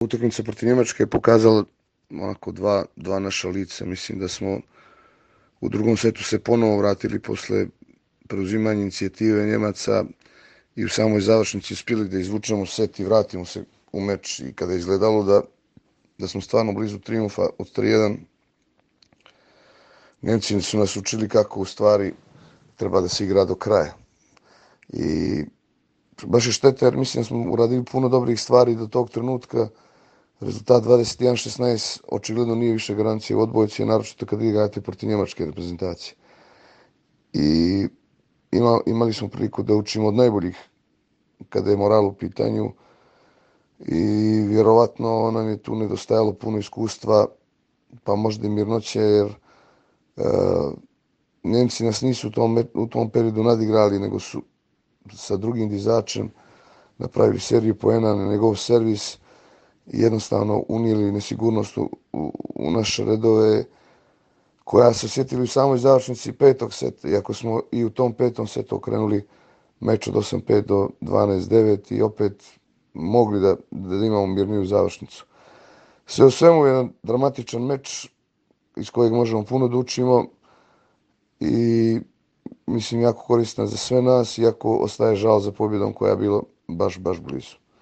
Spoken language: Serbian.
Utakmica protiv Njemačke je pokazala onako dva naša lica. Mislim da smo u drugom setu se ponovo vratili posle preuzimanja inicijative Njemaca i u samoj završnici uspjeli da izvučemo set i vratimo se u meč. I kada je izgledalo da smo stvarno blizu trijumfa od 3-1, Nemci su nas učili kako u stvari treba da se igra do kraja. I baš je šteta jer mislim da smo uradili puno dobrih stvari do tog trenutka. Rezultat 21-16 očigledno nije više garancija u odbojci, naročito kada igrate protiv njemačke reprezentacije. I imali smo priliku da učimo od najboljih kada je moral u pitanju i vjerovatno nam je tu nedostajalo puno iskustva, pa možda i mirnoće, jer Nemci nas nisu u tom periodu nadigrali, nego su sa drugim dizačem napravili seriju poena na njegov servis i jednostavno unijeli nesigurnost u naše redove, koja se osjetili u samoj završnici petog seta, iako smo i u tom petom setu okrenuli meč od 8-5 do 12-9 i opet mogli da imamo mirniju završnicu. Sve u svemu jedan dramatičan meč iz kojeg možemo puno da učimo i mislim jako koristan za sve nas, iako ostaje žal za pobjedom koja je bila baš blizu.